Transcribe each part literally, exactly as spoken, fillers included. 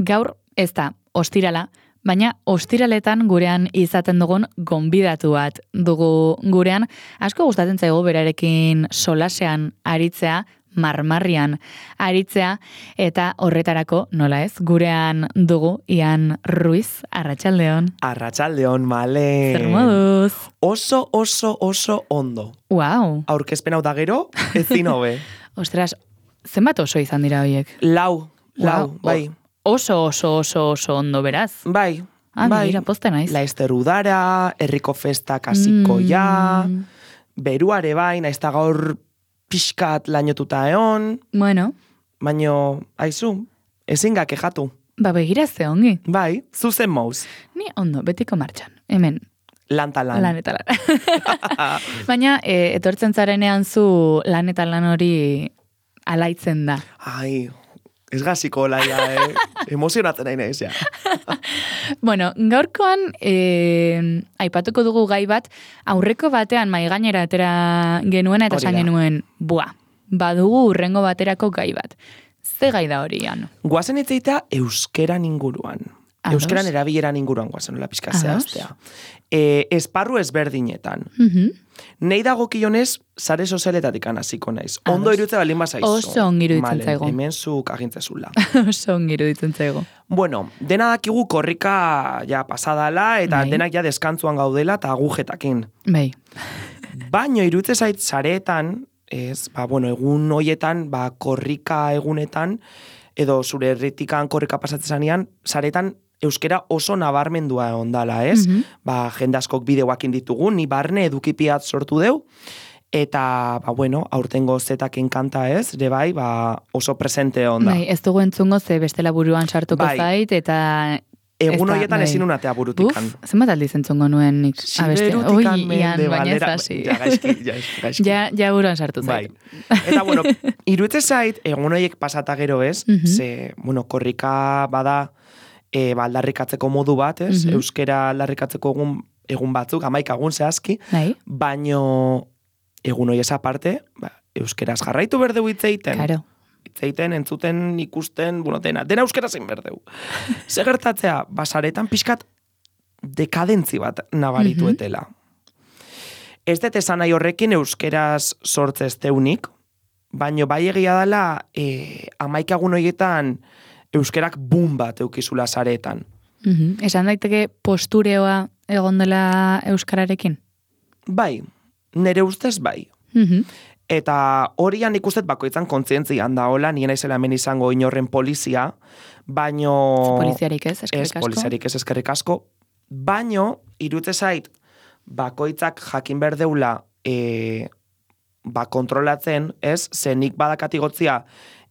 gaur ez da ostirala, baina ostiraletan gurean izaten dugun gonbidatu bat dugu gurean. Asko gustatzen zaigu berarekin solasean aritzea, marmarrian aritzea, eta horretarako, nola ez, gurean dugu Ian Ruiz, arratsaldeon. Arratsaldeon, male. Zer moduz? Oso, oso, oso ondo. Wow. Aurkezpen hau da gero, ezin hobe. Ostras, zenbat oso izan dira horiek? Lau, lau, Wow. bai. Oso, oso, oso, oso ondo, beraz. Bai, Ah, bai. mira, poste naiz. Laester udara, herriko festak hasiko ja, Mm. beruare bai, naiz eta gaur pixkat lainotuta eon, Bueno, baino, aizu, ezin ga kejatu. ba begira ze ongi. Bai, zuzen mouz, Ni ondo, betiko martxan. Hemen, lan ta lan. lan eta lan. Baina, e, etortzen zarenean zu lan eta lan hori alaitzen da. Ai, ez gaziko laia, eh? Emozionatzen nahi nahiz, ja. Bueno, gaurkoan e, aipatuko dugu gai bat, aurreko batean mai gainera atera genuena eta Hori esan da. genuen, bua, badugu urrengo baterako gai bat. Ze gai da hori, Ian? Guazen itzeita euskeran inguruan. Ados. Euskeran erabileran inguruan guazen, nola pixka Ados. zehaztea. E, esparru ezberdinetan. Mhm. Nei dagokionez, sare sozialetatik hasiko naiz. Ondo Ados. irutze balin bazaizu. Oso ongi iruditzen Malen, zaigu. Hemen zuk agintzezula. Oso ongi iruditzen zaigu. Bueno, dena dakigu korrika ja pasadala, eta Bai. denak ja deskantzuan gaudela eta agujetakin. Bai. Baino irutze zait sareetan, ez, ba, bueno, egun hoietan, ba, korrika egunetan, edo zure herritikan korrika pasatzezanean, saretan euskera oso nabarmendua ondala, ez? Mhm. Ba, jende askok bideoakin ditugu, ni barne edukipiat sortu deu, eta, ba, bueno, aurtengo zetaken kanta ez, ere bai, ba, oso presente onda. Bai, ez dugu entzungo ze bestela buruan sartuko Bai. zait, eta... Egun ez da, horietan bai. ezin unatea burutikan. Uf, zenbat aldiz entzungo nuen nik abestea. Siberutikan Oi, Ian, mende baina ez balera. hasi. Ja, gaizki, ja, gaizki. Ja, ja buruan sartu Bai. zait. Eta, bueno, irutze zait, egun horiek pasata gero ez, Mhm. ze, bueno, korrika bada, e, ba, aldarrikatzeko modu bat, ez? Mhm. Euskera aldarrikatzeko egun, egun batzuk, amaika egun zehazki, Bai, baino egun horiez aparte, ba, euskeraz jarraitu berdeu hitzeiten. karo. Hitzeiten, entzuten, ikusten, bueno, dena, dena euskera zein berdeu. Ze gertatzea, basaretan pixkat dekadentzi bat nabarituetela. Ez dut esan nahi horrekin euskeraz sortzez teunik, baino bai egia dela e, amaikagun horietan euskerak boom bat eukizula saretan. Mhm. Esan daiteke postureoa egon dela euskararekin? Bai, nere ustez bai. Mhm. Eta horian ikustet bakoitzan kontzientzian da hola, nien aizela hemen izango inorren polizia, baino... Poliziarik ez, eskerrik Ez, asko. poliziarik ez eskerrik asko, baino, irutze zait, bakoitzak jakin berdeula e, ba, kontrolatzen, ez, zenik badakatigotzia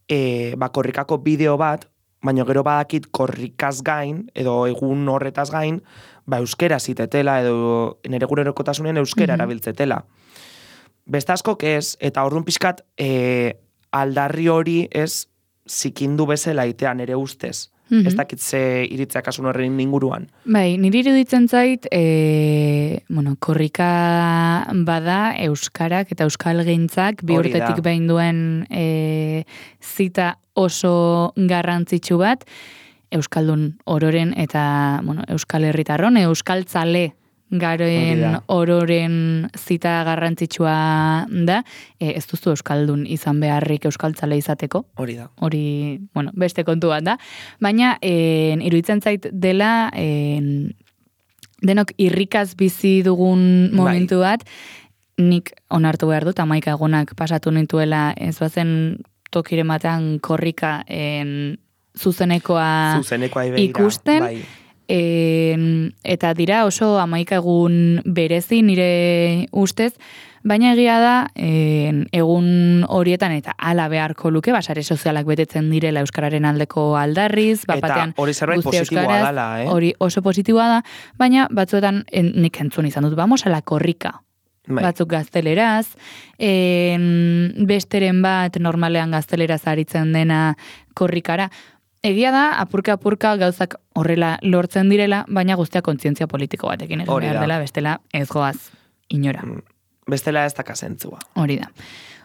e, ba, korrikako bideo bat, baino gero badakit korrikaz gain, edo egun horretaz gain, ba, euskera zitetela, edo nere gunerokotasunen euskera Mhm. erabiltzetela. Beste askok ez, eta orduan pixkat e, aldarri hori ez zikindu bezala itean ere ustez. Mhm. Ez dakit ze iritzeak asun horren inguruan. Bai, niri iruditzen zait, e, bueno, korrika bada euskarak eta euskalgintzak bi Hori da. urtetik behin duen e, zita oso garrantzitsu bat, euskaldun ororen eta, bueno, euskal herritarron, euskaltzale Hori garen da. ororen zita garrantzitsua da, e, ez duzu euskaldun izan beharrik euskaltzale izateko, Hori da. hori, bueno, beste kontu bat da. Baina, en, iruditzen zait dela, en, denok irrikaz bizi dugun momentu bat, nik onartu behar dut, amaika egunak pasatu nintuela, ez bazen tokire batean korrika en, zuzenekoa Zuzenekoa ibeira. ikusten, Bai. En, eta dira oso hamaika egun berezi nire ustez, baina egia da en, egun horietan eta hala beharko luke, basare sozialak betetzen direla euskararen aldeko aldarriz, bat Eta batean hori zerbait guzti positiboa euskaraz, dala, eh? hori oso positiboa da, baina batzuetan en, nik entzun izan dut, vamos a la korrika. Bai. Batzuk gazteleraz, en, besteren bat normalean gazteleraz aritzen dena korrikara. Egia da, apurka-apurka gauzak horrela lortzen direla, baina guztia kontzientzia politiko batekin egin Hori behar da. dela, bestela ez goaz inora. Bestela ez dakazentzua. Hori da.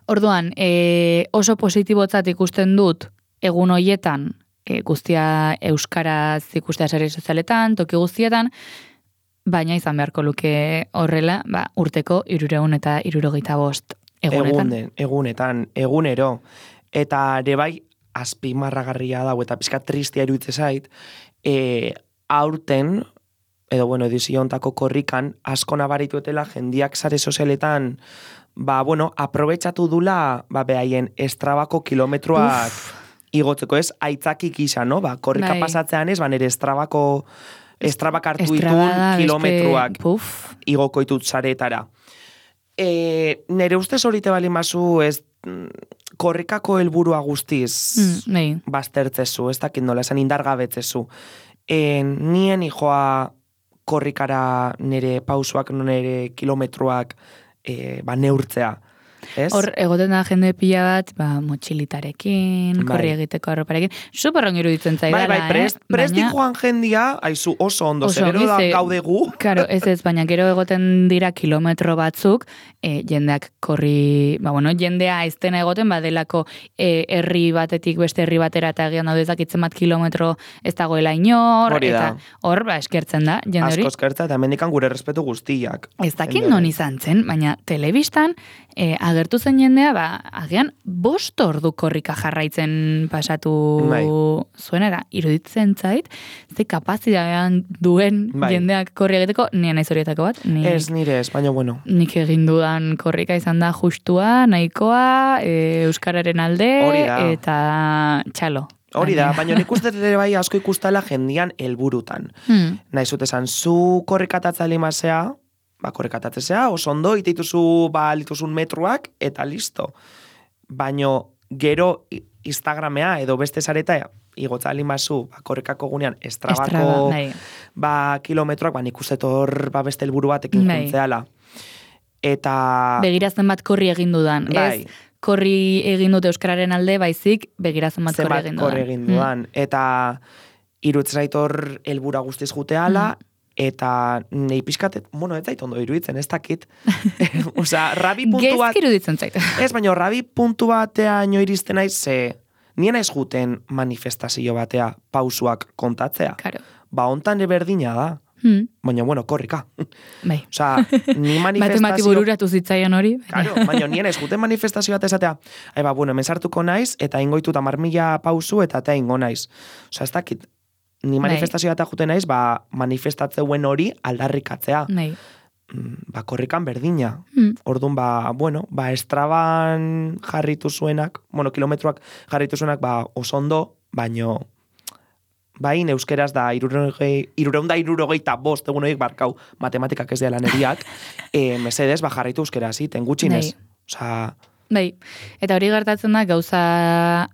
Orduan, e, oso positibotzat ikusten dut egun hoietan e, guztia euskaraz ikustea sare sozialetan, toki guztietan, baina izan beharko luke horrela, ba, urteko irureun eta irurogeita bost egunetan. Egunen, egunetan, egunero. Eta ere bai, azpimarragarria dago, eta pizka tristia iruditze zait, e, aurten, edo bueno, edizio ontako korrikan, asko nabarituetela jendiak sare sozialetan, ba, bueno, aprobetxatu dula, ba, behaien estrabako kilometroak Uf. igotzeko ez, aitzakik isa, no? Ba, korrika bai. Pasatzean ez, ba, nire estrabako, estrabak hartu ditun kilometroak igoko ditut saretara. E, nire ustez horite bali mazu, ez, korrikako helburua guztiz mm, baztertzezu, ez dakit nola, esan indargabetzezu. E, nien hijoa korrikara nire pausuak, nire kilometroak e, ba, neurtzea. Ez? Hor, egoten da jende pila bat, ba, motxilitarekin, bai. Korri egiteko arroparekin, superron iruditzen zaidala, bai, bai, prest, eh? Presti baina... joan jendia, aizu oso ondo, oso, zebero da gaude gu. Claro, ez ez, baina gero egoten dira kilometro batzuk, e, jendeak korri, ba, bueno, jendea aiztena egoten, badelako e, herri batetik beste herri batera, eta egian daude zakitzen bat kilometro ez dagoela inor, eta hor, ba, eskertzen da, jende hori. Asko eskertza, eta mendikan gure respetu guztiak. Ez dakit non izan zen, baina telebistan, e, agertu zen jendea, ba, agian bost ordu korrika jarraitzen pasatu bai. Zuenera, iruditzen zait, ze kapazitatean duen bai. Jendeak korri egiteko, nien naiz horietako bat. Nik, ez nire, ez, baina bueno. Nik egin dudan korrika izan da justua, nahikoa, e, euskararen alde, eta txalo. Hori da, baina nik uste ere bai asko ikustala jendian helburutan. Hmm. Naizut esan, zu korrikatatza limazea, ba, korrekatatzea, oso ondo, iteituzu, ba, lituzun metroak, eta listo. Baino, gero Instagramea, edo beste zareta, igotza alimazu, ba, korrekako gunean, estrabako, Estraba, ba, kilometroak, ba, nik uste tor, ba, beste helburu batekin juntzeala. Eta... Begirazen bat korri egin dudan, bai. Ez? Korri egin dute euskararen alde, baizik, begirazen bat korri egin dudan. korri egin dudan. Mm. Eta, irutzaitor helbura guztiz juteala, mm. Eta nahi pixkatet, bueno, ez zait ondo iruditzen, ez dakit. Osa, rabi puntu bat... Gezk iruditzen zait. Ez, baina rabi puntu batea ino iristen naiz, ze nien ez juten manifestazio batea pausuak kontatzea. Claro. Ba, ontan berdina da. Hmm. Baina, bueno, korrika. Bai. Osa, ni manifestazio... Matemati bururatu zitzaion hori. Claro, baina nien ez juten manifestazio bat esatea. Eba, bueno, hemen sartuko naiz, eta ingoitu tamar mila pausu, eta eta ingo naiz. Osa, ez dakit... Ni manifestazioa eta juten naiz, ba, manifestatzeuen hori aldarrikatzea. Nei. Ba, korrikan berdina. Mm. Orduan, ba, bueno, ba, estraban jarritu zuenak, bueno, kilometroak jarritu zuenak, ba, osondo, baino, bain, euskeraz da, irureun da irurogeita bost, egun horiek barkau, matematikak ez dela neriak, e, mesedez, ba, jarritu euskeraz, iten gutxinez. Osa... Bai, eta hori gertatzen da, gauza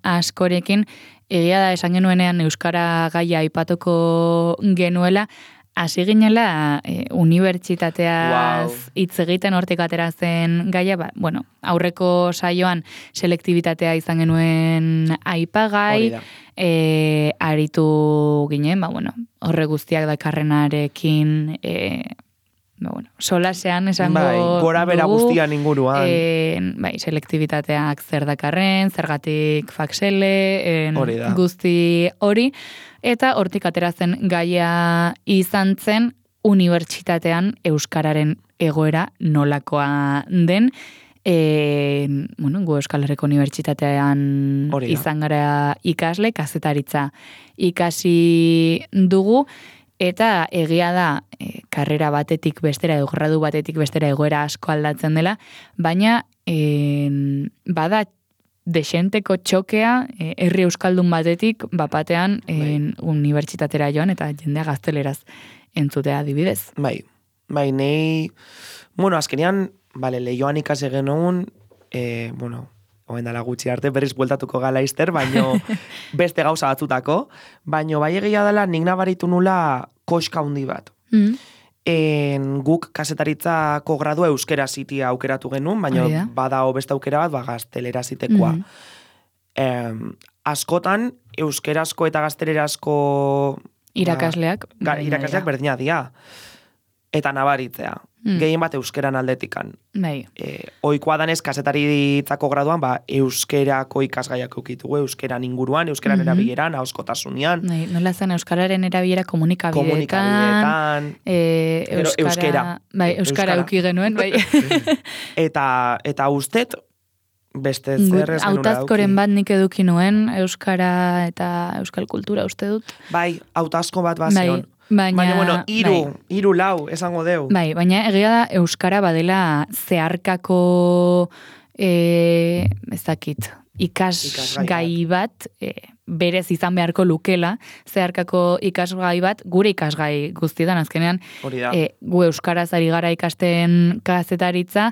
askorekin, egia da esan genuenean euskara gaia aipatuko genuela, hasi ginela e, unibertsitateaz hitz wow. egiten hortik atera zen gaia, ba, bueno, aurreko saioan selektibitatea izan genuen aipagai, e, aritu ginen, ba, bueno, horre guztiak dakarrenarekin, e, ba, bueno, solasean esango bai, gora bera guztian inguruan. E, bai, selektibitateak zer dakarren, zergatik faksele, en, guzti hori, eta hortik ateratzen gaia izan zen unibertsitatean euskararen egoera nolakoa den, e, bueno, gu Euskal Herriko Unibertsitatean izan gara ikasle, kazetaritza ikasi dugu, eta egia da, e, karrera batetik bestera, edo gradu batetik bestera egoera asko aldatzen dela, baina e, bada desenteko txokea, e, herri euskaldun batetik, bapatean e, unibertsitatera joan, eta jendea gazteleraz entzutea adibidez. Bai, bai, nei, bueno, azkenean, bale, lehioan ikase genuen, e, bueno, oen dala gutxi arte, berriz bueltatuko gala izter, baino beste gauza batzutako, baino bai egia dela nik nabaritu nula koska handi bat. Mm. En, guk kasetaritzako gradua euskera zitia aukeratu genuen, baino Oida. badao beste aukera bat, ba, gaztelera zitekoa. Mm. Em, askotan, euskerazko eta gaztelerazko irakasleak, ba, ga, irakasleak berdina dia. Eta nabaritzea. mm. gehien bat euskeran aldetikan. Bai. E, oikoa danez, kazetaritzako graduan, ba, euskerako ikasgaiak eukitugu, euskeran inguruan, euskeran mm -hmm. erabileran, ahoskotasunean. Bai, nola zen euskararen erabilera komunikabideetan. Komunikabideetan. E, euskara, euskera. Bai, euskara euki genuen, bai. eta, eta ustet, beste zer ez genuen Hautazkoren bat nik eduki nuen, euskara eta euskal kultura uste dut. Bai, hautazko bat bazion. Bai. Baina, baina, bueno, iru, bai. iru lau, esango deu. Bai, baina egia da euskara badela zeharkako e, ez dakit, ikasgai bat, e, berez izan beharko lukela, zeharkako ikasgai bat, gure ikasgai guztietan, azkenean, e, gu euskaraz ari gara ikasten kazetaritza,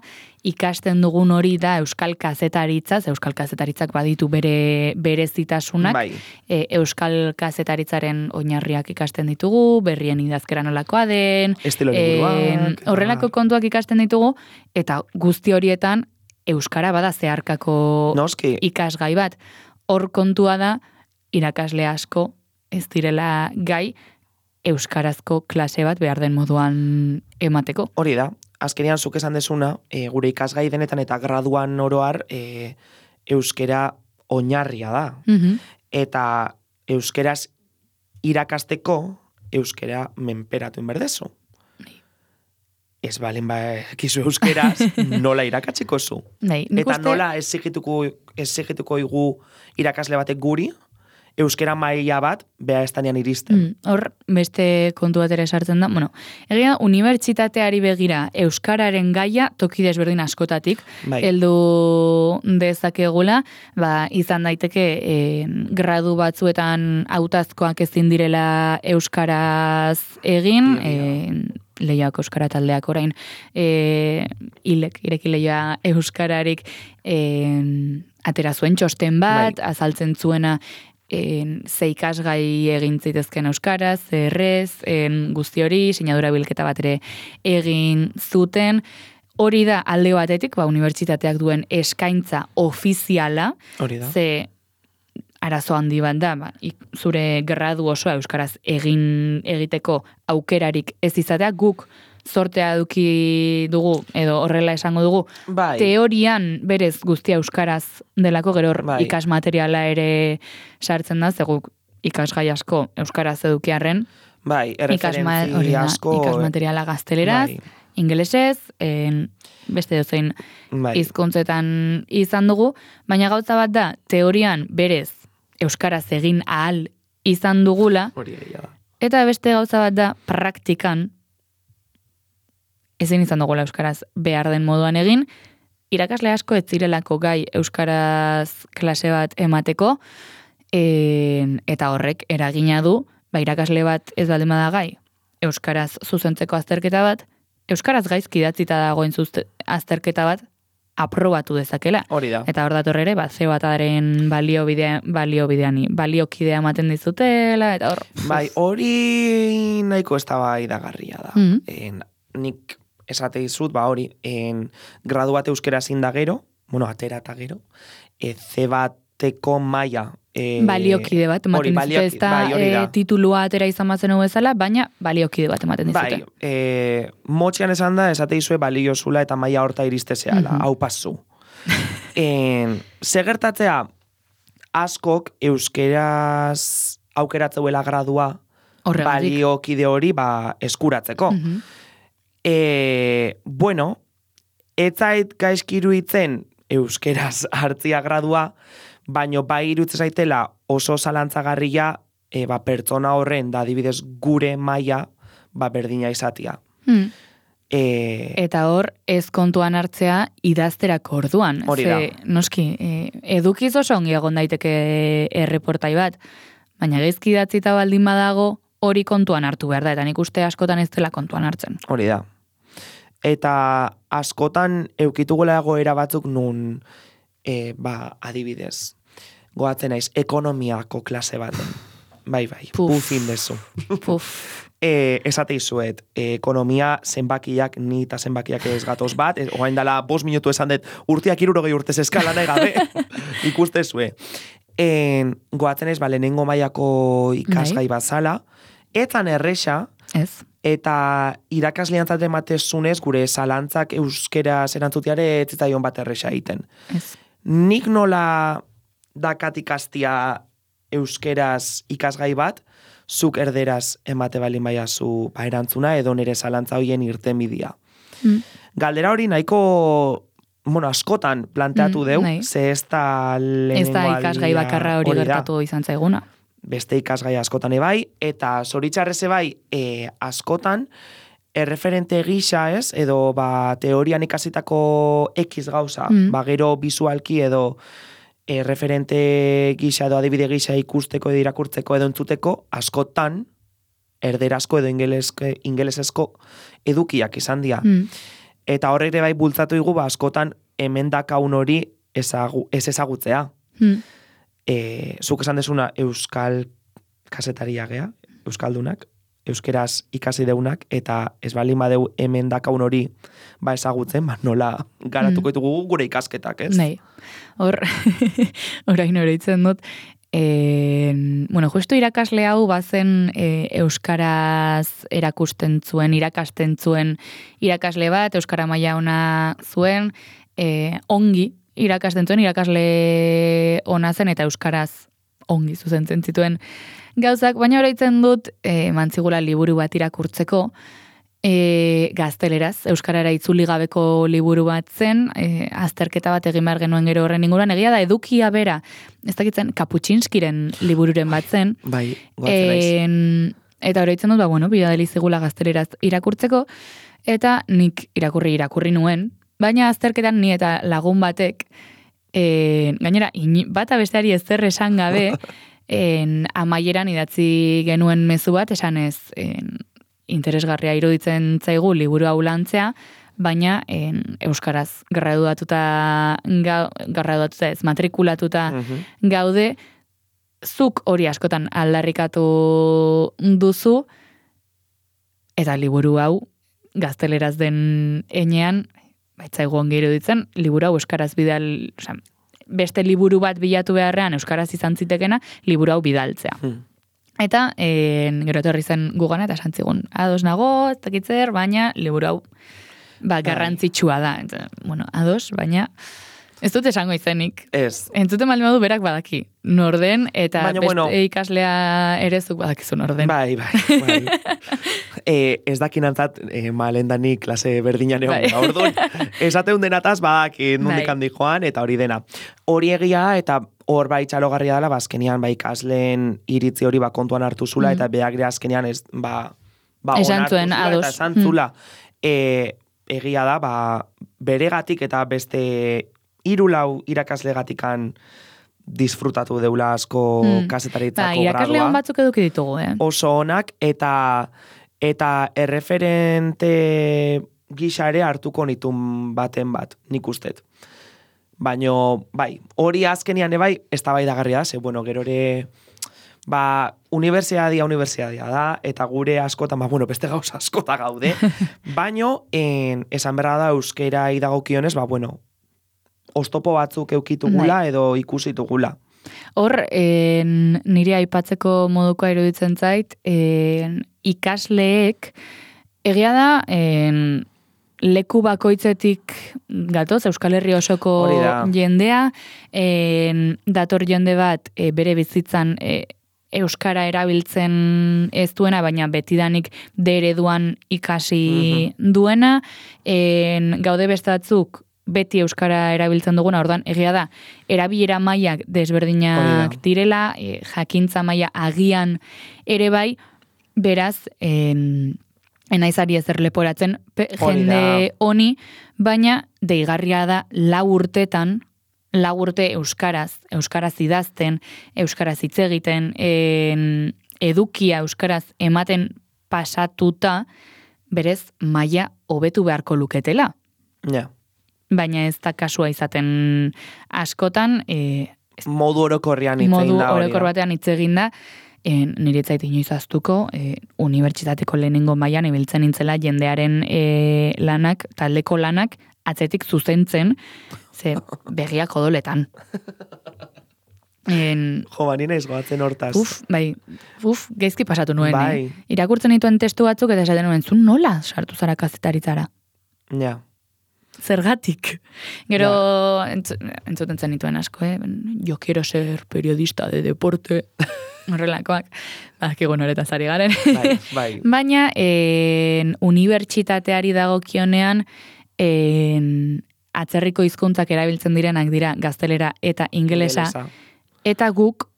ikasten dugun hori da euskal kazetaritza, euskal kazetaritzak baditu bere berezitasunak, bai. e, euskal kazetaritzaren oinarriak ikasten ditugu, berrien idazkera nolakoa den, estilo liburuak, horrelako kontuak ikasten ditugu, eta guzti horietan euskara bada zeharkako Noski. ikasgai bat. Hor kontua da, irakasle asko ez direla gai euskarazko klase bat behar den moduan emateko. Hori da, azkenean zuk esan desuna, e, gure ikasgai denetan eta graduan oroar e, euskera oinarria da. Mm-hmm. Eta euskeraz irakasteko euskera menperatu inberdezu. Ez balen ba, kizu euskeraz, nola irakatziko zu. Nei, eta uste... nola esigituko, esigituko igu irakasle batek guri, euskera maila bat, beha estanean iristen. Mm, hor, beste kontu bat ere sartzen da. Bueno, egia, unibertsitateari begira euskararen gaia toki desberdin askotatik, bai. heldu dezakegula, ba, izan daiteke e, gradu batzuetan hautazkoak ezin direla euskaraz egin, e, lehiak euskara taldeak orain, e, ilek, ireki lehia euskararik e, atera zuen txosten bat, bai. azaltzen zuena en, ze ikasgai egin zitezken euskaraz, errez, en, guzti hori, sinadura bilketa bat ere egin zuten. Hori da alde batetik, ba, unibertsitateak duen eskaintza ofiziala, hori da. Ze arazo handi bat da, ba, zure gradu osoa euskaraz egin egiteko aukerarik ez izatea, guk zortea eduki dugu, edo horrela esango dugu, bai. teorian berez guztia euskaraz delako, gero bai. ikas materiala ere sartzen da, zeguk ikasgai asko euskaraz edukiarren, bai, erreferentzi asko, ikas materiala gazteleraz, bai. ingelesez, en, beste dozein bai. hizkuntzetan izan dugu, baina gauza bat da, teorian berez euskaraz egin ahal izan dugula, hori da. Eta beste gauza bat da, praktikan, ezin izan dugula euskaraz behar den moduan egin, irakasle asko ez zirelako gai euskaraz klase bat emateko, en, eta horrek eragina du, ba irakasle bat ez baldin bada gai, euskaraz zuzentzeko azterketa bat, euskaraz gaizki idatzita dagoen zuzte, azterketa bat, aprobatu dezakela. Hori da. Eta hor dator ere, ba, ze bataren balio bidea, balio bideani, baliokidea ematen dizutela, eta hor... Bai, hori nahiko ez da bai dagarria da. Mm-hmm. En, nik esate dizut, ba hori, en, gradu bat euskera zin da gero, bueno, atera eta gero, e, ze bateko maila... E, baliokide bat, ematen dizute ez da, bai, e, titulua atera izan bazen bezala, baina baliokide bat ematen dizute. Bai, e, motxean esan da, esate izue balio zula eta maila horta iriste zehala, mm-hmm. hau pasu. en, Segertatzea, askok euskeraz aukeratzeuela gradua horregatik. Baliokide hori ba, eskuratzeko. Mm-hmm. e, bueno, etzait gaizkiru itzen euskeraz hartzia gradua, baino bai irutze zaitela oso zalantzagarria e, ba, pertsona horren da adibidez gure maila ba, berdina izatia. Hmm. E, Eta hor, ez kontuan hartzea idazterako orduan. Hori da. Ze, noski, e, edukiz oso ongi egon daiteke erreportai bat, baina gaizki idatzita baldin badago hori kontuan hartu behar da, eta nik uste askotan ez dela kontuan hartzen. Hori da. Eta askotan eukitugula egoera batzuk nun e, ba, adibidez, goatzen naiz ekonomiako klase baten. Bai, bai, Puf. pufin dezu. Puf. E, esate izuet, e, ekonomia zenbakiak, ni eta zenbakiak ez gatoz bat, e, oain dala bost minutu esan dut, urtiak irurogei urtez eskala nahi gabe, ikuste zue. En, goatzen ez, ba, lehenengo mailako ikasgai bazala, etzan erresa, Ez. Eta irakasleantzat ematezunez, gure zalantzak euskeraz erantzutiare ez zitzaion bat erresa egiten. Ez. Nik nola dakat ikastia euskeraz ikasgai bat, zuk erderaz emate balin baiazu ba, erantzuna edo nire zalantza hoien irtenbidea. Mm. Galdera hori nahiko, bueno, askotan planteatu Mm, deu, nahi. ze ez da lehenengo Ez da ikasgai aldia bakarra hori da. gertatu izan zaiguna. Beste ikasgai askotan ebai, eta zoritxarrez ebai e, askotan, erreferente gisa ez, edo ba, teorian ikasitako X gauza, Mm. ba, gero bisualki edo e, referente gisa edo adibide gisa ikusteko edo irakurtzeko edo entzuteko, askotan, erderazko edo ingeleske, ingelesezko edukiak izan dira. Mm. Eta horre ere bai bultzatu igu, ba, askotan hemen dakaun hori ezagu, ez ezagutzea. Mm. E, zuk esan desuna euskal kasetaria gea, euskaldunak, euskeraz ikasi deunak, eta ez balin badeu hemen dakaun hori ba ezagutzen, ba nola garatuko ditugu gure ikasketak, ez? Nahi. Hor, orain oroitzen dut, e, bueno, justu irakasle hau bazen e, euskaraz erakusten zuen, irakasten zuen irakasle bat, euskara maila ona zuen, e, ongi irakasten zuen, irakasle ona zen eta euskaraz ongi zuzentzen zituen gauzak, baina oroitzen dut e, mantzigula liburu bat irakurtzeko, e, gazteleraz, euskarara itzuli gabeko liburu bat zen, e, azterketa bat egin behar genuen gero horren inguruan, egia da edukia bera, ez dakitzen Kaputxinskiren libururen bat zen, Bai, goatzen naiz. en, eta oroitzen dut, ba, bueno, bidadeli zigula gazteleraz irakurtzeko, eta nik irakurri irakurri nuen, baina azterketan ni eta lagun batek, e, gainera, in, bata besteari ezer esan gabe, en, amaieran idatzi genuen mezu bat, esanez, en, interesgarria iruditzen zaigu liburu hau lantzea, baina en, euskaraz graduatuta, ga, graduatuta ez, matrikulatuta Mhm. gaude, zuk hori askotan aldarrikatu duzu, eta liburu hau gazteleraz den enean, baitzaigu ongi iruditzen, liburu hau euskaraz bidal, oza, beste liburu bat bilatu beharrean euskaraz izan zitekena, liburu hau bidaltzea. Hmm. Eta, en, gero etorri zen gugana, eta santzigun, ados nago, ez dakitzer, baina liburu hau ba, garrantzitsua da. Eta, bueno, ados, baina ez dut esango izenik. Ez. Entzuten baldin badu berak badaki. Norden, eta Baina, beste bueno, ikaslea ere zuk badakizu norden. Bai, bai, bai. e, ez dakinantzat, e, malendani klase berdinan egon. Bai. Orduan, esateun denataz, badaki nundik Bai. handi joan, eta hori dena. Hori egia, eta hor bai txalogarria dela, bazkenian, bai ikasleen iritzi hori ba kontuan hartu zula, Mm. eta beak ere azkenean ez, ba, ba Esan onartu zuen, zula, ados. eta esan Mm. zula. E, egia da, ba, beregatik eta beste hiru lau irakaslegatikan disfrutatu deula asko Mm. kazetaritzako Ba, gradua. irakasle hon batzuk eduki ditugu, eh? Oso onak, eta eta erreferente gisa ere hartuko nitun baten bat, nik ustet. Baino, bai, hori azkenian ebai, ez da bai dagarria da, ze, bueno, gero ere, ba, unibertsiadia, unibertsiadia da, eta gure askotan, ba, bueno, beste gauza askota gaude, baino, en, esan berra da euskera idagokionez, ba, bueno, oztopo batzuk eukitugula edo ikusitugula. Hor, en, nire aipatzeko modukoa iruditzen zait, en, ikasleek, egia da, en, leku bakoitzetik gatoz, Euskal Herri osoko Hori da. jendea, en, dator jende bat e, bere bizitzan e, euskara erabiltzen ez duena, baina betidanik de ereduan ikasi duena, en, gaude beste batzuk beti euskara erabiltzen duguna, ordan egia da, erabilera mailak desberdinak Hori da. direla, e, jakintza maila agian ere bai, beraz, en, enaizari ezer leporatzen pe, Hori jende da. honi, baina deigarria da lau urtetan, lau urte euskaraz, euskaraz idazten, euskaraz hitz egiten, en, edukia euskaraz ematen pasatuta, berez maila hobetu beharko luketela. Ja. Baina ez da kasua izaten askotan, e, Modu orokorrean hitz egin modu da hori orokor da. batean hitz egin da, en, nire etzait inoiz aztuko, e, unibertsitateko lehenengo mailan ibiltzen nintzela jendearen e, lanak, taldeko lanak, atzetik zuzentzen, ze begiak odoletan. En, jo, bani naiz goatzen hortaz. uf, bai, uf, gezki pasatu nuen. Bai. Eh? Irakurtzen dituen testu batzuk eta esaten nuen, zun nola sartu zara kazetaritzara? Ja. Zergatik. Gero, entz, entzuten zen dituen asko, eh? Yo quiero ser periodista de deporte. Horrelakoak. Badakigu noretaz ari garen. Bai, bai. Baina, en, unibertsitateari dagokionean, en, atzerriko hizkuntzak erabiltzen direnak dira gaztelera eta ingelesa. Ingelesa. Eta guk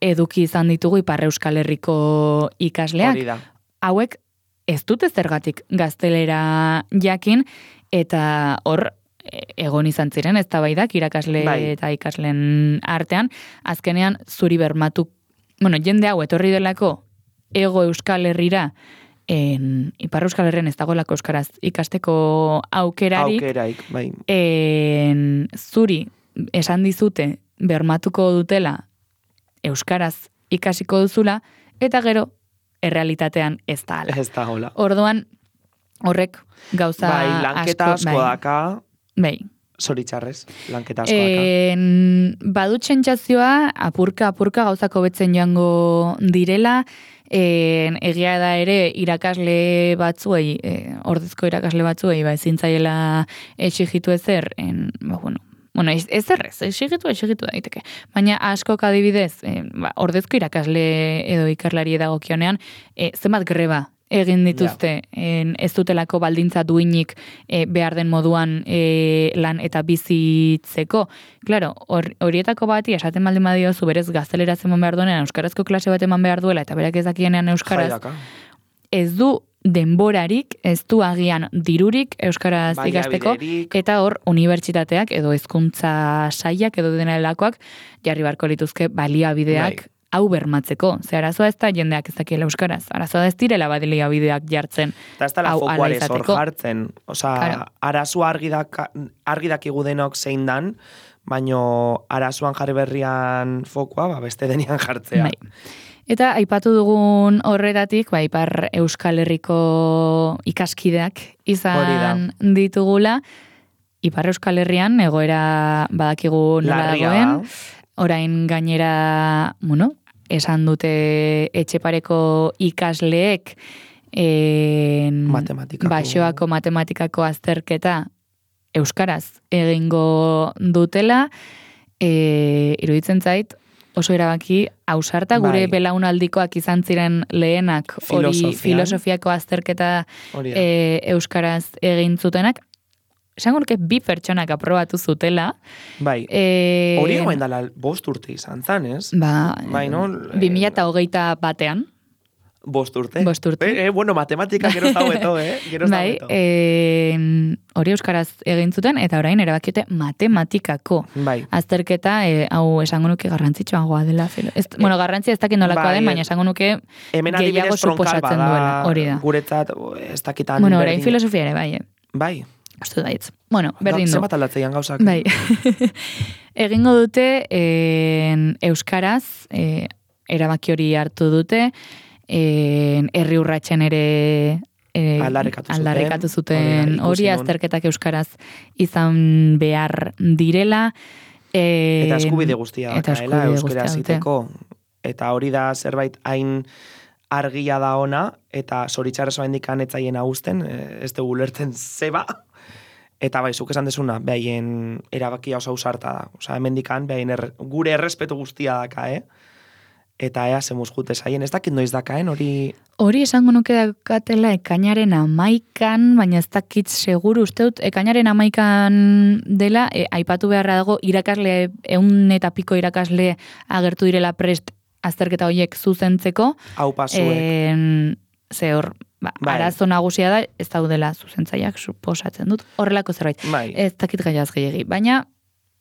eduki izan ditugu Ipar Euskal Herriko ikasleak. Hori da. Hauek ez dute zergatik gaztelera jakin, eta hor egon izan ziren eztabaidak irakasle Bai. eta ikasleen artean, azkenean zuri bermatu, bueno, jende hau etorri delako ego Euskal Herrira, en, Ipar Euskal Herrian ez dagoelako euskaraz ikasteko aukerarik, Aukeraik, bai. en, zuri esan dizute bermatuko dutela euskaraz ikasiko duzula, eta gero errealitatean ez da ala. Ez da hola. Orduan, horrek gauza Bai, lanketa asko bai, daka, bai. zoritxarrez, lanketa asko daka. En, badu txentsazioa, apurka, apurka gauzako betzen joango direla, en, egia da ere irakasle batzuei, e, ordezko irakasle batzuei, ba, ezintzaiela exigitu ezer, en, ba, bueno, Bueno, ez, ez errez, exigitu, exigitu daiteke. Baina askok adibidez, eh, ba, ordezko irakasle edo ikerlari dagokionean, eh, zenbat greba egin dituzte en, ez dutelako baldintza duinik eh, behar den moduan eh, lan eta bizitzeko. Claro, hor, horietako bati esaten baldin badiozu berez gazteleraz eman behar duenean, euskarazko klase bat eman behar duela eta berak ez dakienean euskaraz, Jaiaka. ez du denborarik, ez du agian dirurik euskaraz ikasteko, Baliabiderik. eta hor unibertsitateak edo hezkuntza sailak edo dena delakoak jarri barko lituzke baliabideak Bai. hau bermatzeko. Ze arazoa ez da jendeak ez dakiela euskaraz. Arazoa da ez direla baliabideak jartzen. Eta ez da la hau hala fokuarez hor izateko. jartzen. Osa, Claro. arazoa argi, daka, argi dakigu denok zein dan, baino arazoan jarri berrian fokua, ba, beste denian jartzea. Bai. Eta aipatu dugun horretatik, ba, Ipar Euskal Herriko ikaskideak Hori izan ditugula, Ipar Euskal Herrian egoera badakigu nola Larria dagoen, da. orain gainera, bueno, esan dute etxepareko ikasleek en, Matematikako. Baxoako matematikako azterketa euskaraz egingo dutela, e, iruditzen zait, oso erabaki ausarta gure Bai. belaunaldikoak izan ziren lehenak hori Filosofian. filosofiako azterketa Hori da. e, euskaraz egin zutenak, esango nuke bi pertsonak aprobatu zutela. Bai. E, Hori egoen dala bost urte izan zan, ez? Ba, Bai, no? bi mila eta hogeita batean. Bost urte. Bost urte. Eh, eh, bueno, matematika gero ez dago eto, eh? Gero ez dago Bai, eto. e, hori euskaraz egin zuten, eta orain erabakiote matematikako Bai. azterketa, e, hau esango nuke garrantzitsuagoa dela. Filo. Ez, bueno, garrantzia ez dakit nolakoa bai, den, baina esango nuke Hemen gehiago adibidez tronkal suposatzen bada, duela. Hori da. guretzat, ez dakitan Bueno, orain berdin- filosofia ere, bai, eh? Bai. Uste daitz. Bueno, berdin du. Zenbat aldatzeian gauzak. Bai. Egingo dute en, euskaraz, e, erabaki hori hartu dute, en, herri urratsen ere e, Aldarrikatu zuten. aldarrikatu Hori zuten da, hori ikusi nun. azterketak euskaraz izan behar direla. E, Eta eskubide guztia eta dakaela, eskubide euskera guztia dute. ziteko. Eta hori da zerbait hain argia da ona, eta zoritxarrez indikan etzaien hausten, ez dugu ulertzen zeba. Eta bai, zuk esan desuna, behaien erabakia oso ausarta da. Osa, hemendikan, behaien er, gure errespetu guztia daka, eh? Eta ea zemuz jute zaien, ez dakit noiz dakaen, hori... Hori esango nuke dakatela ekainaren amaikan, baina ez dakit seguru uste dut, ekainaren amaikan dela, e, aipatu beharra dago, irakasle, eun eta piko irakasle agertu direla prest azterketa horiek zuzentzeko. Hau pasuek. En, ze hor, ba, Bai. arazo nagusia da, ez daudela zuzentzaileak suposatzen dut. Horrelako zerbait. Bai. Ez dakit gaiaz gehiagi, baina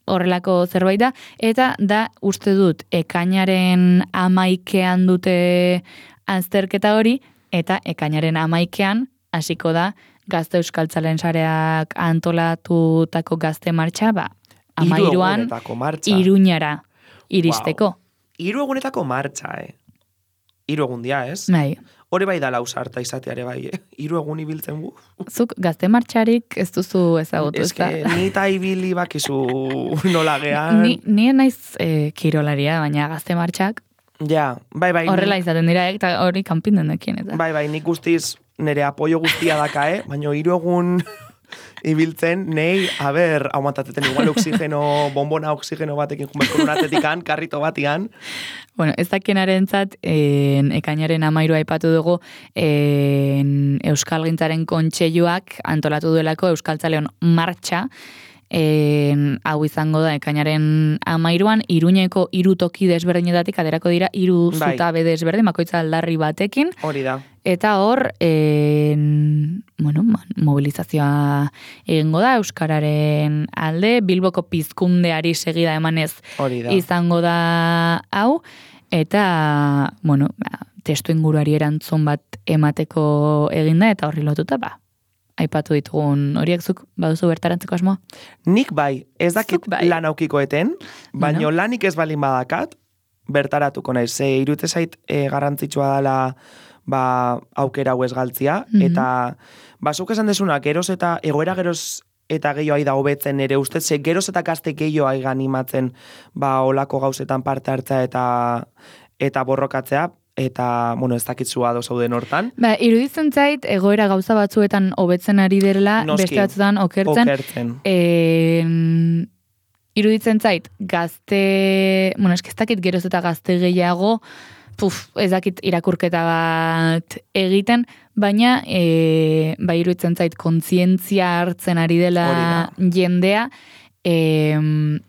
horrelako zerbait da, eta da uste dut ekainaren amaikean dute azterketa hori, eta ekainaren amaikean hasiko da Gazte Euskaltzalen sareak antolatutako gazte martxa, ba, Hiru amairuan egunetako martxa. Iruñara iristeko. Hiru egunetako martxa, eh? hiru egun dia, ez? Bai. Hori bai da lausarta izateare bai, eh? Hiru egun ibiltzen gu. Zuk gazte martxarik ez duzu ezagutu, Ez que ni ta ibili bakizu nola gean. Ni, ni naiz eh, kirolaria, baina gazte martxak Ja, bai, bai. horrela izaten dira, eta hori kanpinden dekien. Eta. Bai, bai, nik guztiz nire apoio guztia daka, eh? Baina hiru egun ibiltzen, nei, a ber, aguantateten igual oxigeno, bombona oxigeno batekin jumerko lunatetikan, karrito batian. Bueno, ez dakienaren zat, en, ekainaren amairu aipatu dugu, en, Euskal Gintzaren Kontseiluak antolatu duelako Euskaltzaleon martxa, En, hau izango da ekainaren amairuan, Iruñeko hiru toki desberdinetatik aterako dira hiru Bai. zutabe desberdin, bakoitza aldarri batekin, Hori da. eta hor, en, bueno, mobilizazioa egingo da Euskararen alde, Bilboko pizkundeari segida emanez Hori da. izango da hau, eta, bueno, ba, testu inguruari erantzun bat emateko eginda, eta horri lotuta, ba, aipatu ditugun horiek zuk baduzu bertarantzeko asmoa? Nik bai, ez dakit Zuk bai. lan aukikoeten, baino Bueno. lanik ez balin badakat, bertaratuko naiz. Ze irute zait e, garrantzitsua dela ba, aukera hau ez galtzia, Mhm. eta basuk esan desuna, geroz eta egoera geroz eta gehiago da hobetzen ere ustez, ze geroz eta gazte gehiago aiga animatzen ba, olako gauzetan parte hartzea eta eta borrokatzea, eta, bueno, ez dakitzua dozauden hortan. Ba, iruditzen zait, egoera gauza batzuetan hobetzen ari direla, Noski. beste batzuetan okertzen. Okertzen. En, iruditzen zait, gazte, bueno, eski ez dakit geroz eta gazte gehiago, puf, ez dakit irakurketa bat egiten, baina, e, ba, iruditzen zait, kontzientzia hartzen ari dela jendea, E,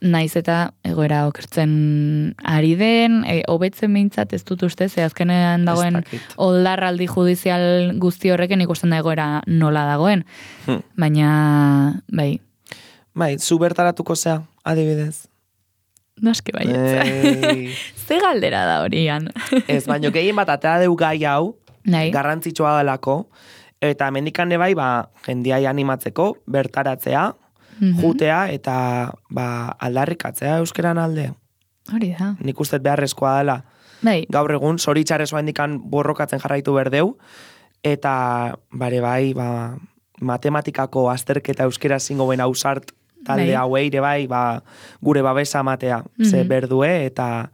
naiz eta egoera okertzen ari den, e, hobetzen behintzat ez dut uste, ze azkenean dagoen Ez dakit. oldarraldi judizial guzti horrekin ikusten da egoera nola dagoen. Hmm. Baina, bai, Bai, zu bertaratuko zea, adibidez. noski baietz. Ei. Ze galdera da horian. Ez, baino gehien bat atea deu gai hau, Nahi, garrantzitsua delako, eta mendikane bai, ba, jendiai animatzeko, bertaratzea, Mhm. jutea, eta ba, aldarrikatzea euskeran alde. hori da. Nik uste beharrezkoa dela. Bai, Gaur egun, zoritxarrez indikan borrokatzen jarraitu berdeu, eta bare bai, ba, matematikako azterketa euskera zingo ben ausart talde Bai. hauei ere bai, ba, gure babesa matea, ze Mhm. berdue, eta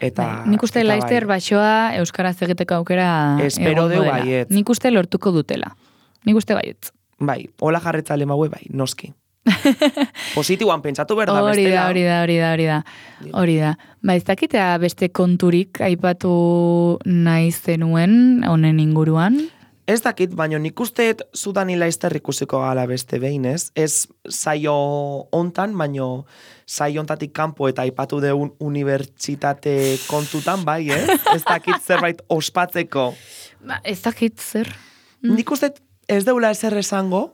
eta bai. Nik uste eta laizter bai. baixoa euskaraz egiteko aukera Espero egongo deu dela. baietz. Nik uste lortuko dutela. Nik uste baietz. Bai, hola jarretzale maue bai, noski. Positiboan pentsatu behar da, Hori bestela. da, hori da, hori da, hori da. Hori da. Ba, ez dakitea beste konturik aipatu nahi zenuen honen inguruan. Ez dakit, baina nik usteet Zudani Laizter ikusiko gala beste behin, ez? Ez saio hontan, baino saio hontatik kanpo eta aipatu deun unibertsitate kontutan, bai, ez? Ez dakit zerbait ospatzeko. Ba, ez dakit zer. Nik usteet ez deula ezer esango,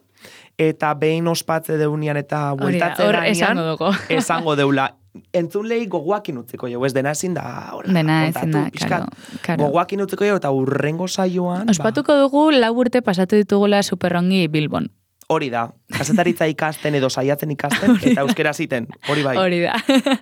eta behin ospatze deunian eta Hori da, bueltatze hor gainean, esango dugu. esango deula. Entzunlei gogoakin utziko jo, ez dena ezin da, hola, Dena ezin kontatu, da, pixkat. karo, karo. Gogoakin utziko jo, eta urrengo saioan, Ospatuko dugu lau urte pasatu ditugula superrongi Bilbon. hori da, kasetaritza ikasten edo saiatzen ikasten, eta euskera ziten, hori bai. Hori da.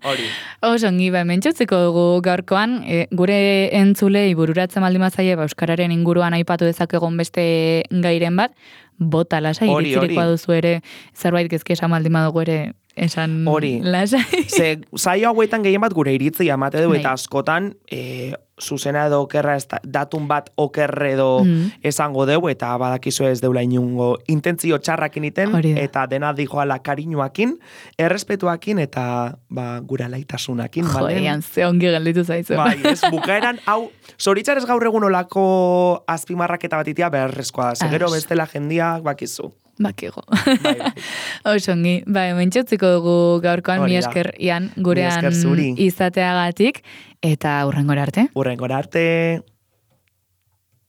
Hori. Oso ongi, ba, mentxutziko dugu gaurkoan, e, gure entzulei bururatzen baldin bazaie, ba, euskararen inguruan aipatu dezakegon beste gairen bat, bota lasai, Hori, iritzirikoa hori. duzu ere, zerbait gezke esan baldin badugu ere, esan Hori. lasai. Ze, saio hauetan gehien bat gure iritzi amate du, Bai. eta askotan, e, zuzena edo okerra, ez da, datun bat okerre edo Mm. esango deu, eta badakizu ez deula inungo intentzio txarrakin iten, Hori da. eta dena dijoala kariñoakin, errespetuakin, eta ba, gure alaitasunakin, bale? Jodean, ze ongi gelditu zaizu. Bai, ez, bukaeran, hau, zoritzarez gaur egun olako azpimarraketa batitia beharrezkoa da, segero Ados. bestela jendiak bakizu. Bakigo. Bai, bai. Oso ongi, bai, mentxutziko dugu gaurkoan, Hori mi da. esker ian Mi gurean esker zuri. izateagatik, eta hurrengora arte. Urrengora arte.